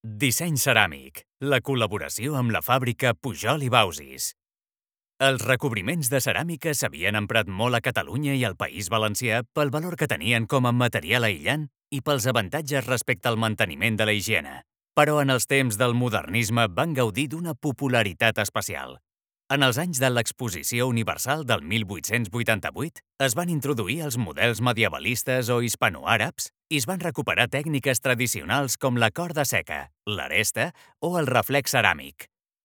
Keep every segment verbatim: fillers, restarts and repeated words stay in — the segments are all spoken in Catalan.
Disseny ceràmic, la col·laboració amb la fàbrica Pujol i Bausis. Els recobriments de ceràmica s'havien emprat molt a Catalunya i al País Valencià pel valor que tenien com a material aïllant i pels avantatges respecte al manteniment de la higiene. Però en els temps del modernisme van gaudir d'una popularitat especial. En els anys de l'Exposició Universal del mil vuit-cents vuitanta-vuit es van introduir els models medievalistes o hispanoàrabs i es van recuperar tècniques tradicionals com la corda seca, l'aresta o el reflex ceràmic.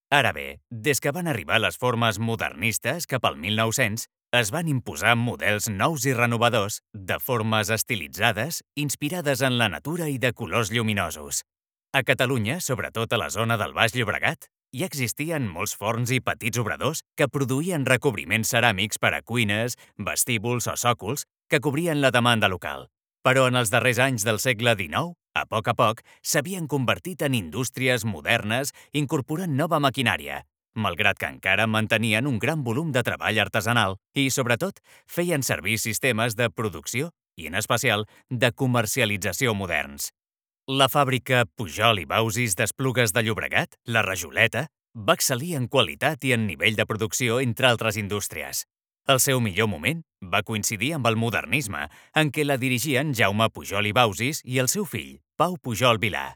Ara bé, des que van arribar les formes modernistes cap al mil nou-cents, es van imposar models nous i renovadors, de formes estilitzades, inspirades en la natura i de colors lluminosos. A Catalunya, sobretot a la zona del Baix Llobregat, hi existien molts forns i petits obradors que produïen recobriments ceràmics per a cuines, vestíbuls o sòcols que cobrien la demanda local. Però en els darrers anys del segle dinou, a poc a poc, s'havien convertit en indústries modernes incorporant nova maquinària, malgrat que encara mantenien un gran volum de treball artesanal i, sobretot, feien servir sistemes de producció i, en especial, de comercialització moderns. La fàbrica Pujol i Bausis d'Esplugues de Llobregat, la Rajoleta, va excel·lir en qualitat i en nivell de producció entre altres indústries. El seu millor moment va coincidir amb el modernisme, en què la dirigien Jaume Pujol i Bausis i el seu fill, Pau Pujol Vilà.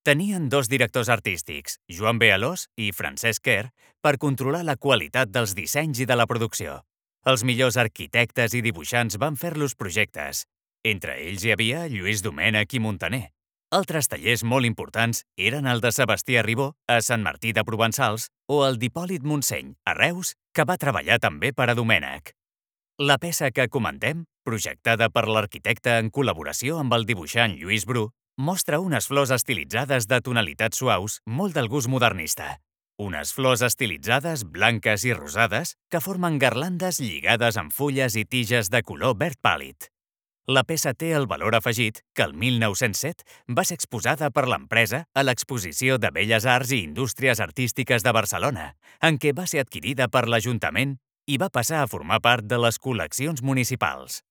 Tenien dos directors artístics, Joan B. Alòs i Francesc Quer, per controlar la qualitat dels dissenys i de la producció. Els millors arquitectes i dibuixants van fer-los projectes. Entre ells hi havia Lluís Domènech i Muntaner. Altres tallers molt importants eren el de Sebastià Ribó, a Sant Martí de Provençals, o el d'Hipòlit Montseny, a Reus, que va treballar també per a Domènech. La peça que comentem, projectada per l'arquitecte en col·laboració amb el dibuixant Lluís Bru, mostra unes flors estilitzades de tonalitats suaus, molt del gust modernista. Unes flors estilitzades blanques i rosades que formen garlandes lligades amb fulles i tiges de color verd pàl·lid. La peça té el valor afegit que el mil nou-cents set va ser exposada per l'empresa a l'Exposició de Belles Arts i Indústries Artístiques de Barcelona, en què va ser adquirida per l'Ajuntament i va passar a formar part de les col·leccions municipals.